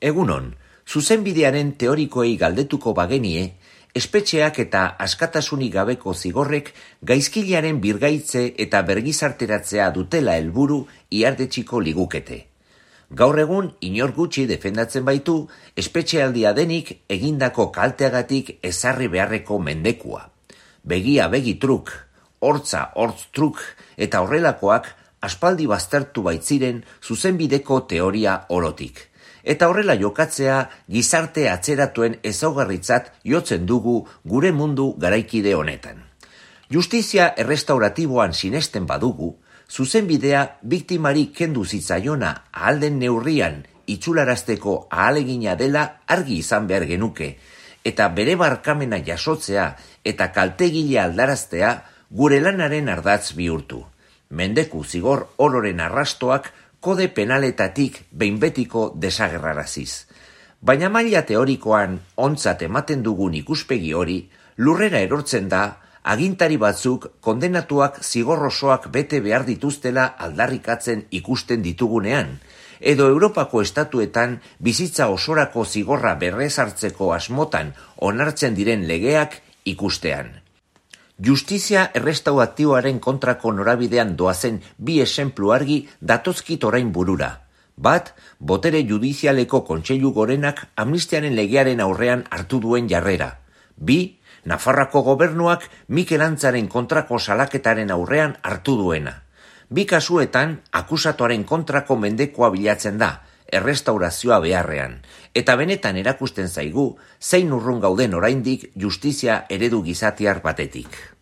Egunon, zuzenbidearen teorikoei galdetuko bagenie, espetxeak eta askatasunik gabeko zigorrek gaizkilearen birgaitze eta bergizarteratzea dutela helburu ihardetsiko ligukete. Gaur egun inor gutxi defendatzen baitu espetxealdia denik egindako kalteagatik ezarri beharreko mendekua. Begia begi truk, hortza hortz truk eta horrelakoak aspaldi baztertu baitziren zuzenbideko teoria orotik. Eta horrela jokatzea gizarte atzeratuen ezaugarritzat jotzen dugu gure mundu garaikide honetan. Justizia errestauratiboan sinesten badugu, zuzenbidea biktimari kendu zitzaiona ahal den neurrian itxularazteko ahalegina dela argi izan behar genuke, eta bere barkamena jasotzea eta kaltegile aldaraztea gure lanaren ardatz bihurtu. Mendeku zigor ororen arrastoak kode penaletatik behin betiko desagerraraziz. Baina maila teorikoan ontzat ematen dugun ikuspegi hori, lurrera erortzen da, agintari batzuk kondenatuak zigorrosoak bete behar dituztela aldarrikatzen ikusten ditugunean, edo Europako estatuetan bizitza osorako zigorra berrezartzeko asmotan onartzen diren legeak ikustean. Justizia errestauratiboaren kontrako norabidean doazen bi esenplu argi datozkit orain burura. Bat, botere judizialeko kontseilu gorenak amnistiaren legearen aurrean hartu duen jarrera. Bi, Nafarroako gobernuak Mikel Antzaren kontrako salaketaren aurrean hartu duena. Bi kasuetan akusatuaren kontrako mendekoa bilatzen da, errestaurazioa beharrean, eta benetan erakusten zaigu zein urrun gauden oraindik justizia eredu gizatiar batetik.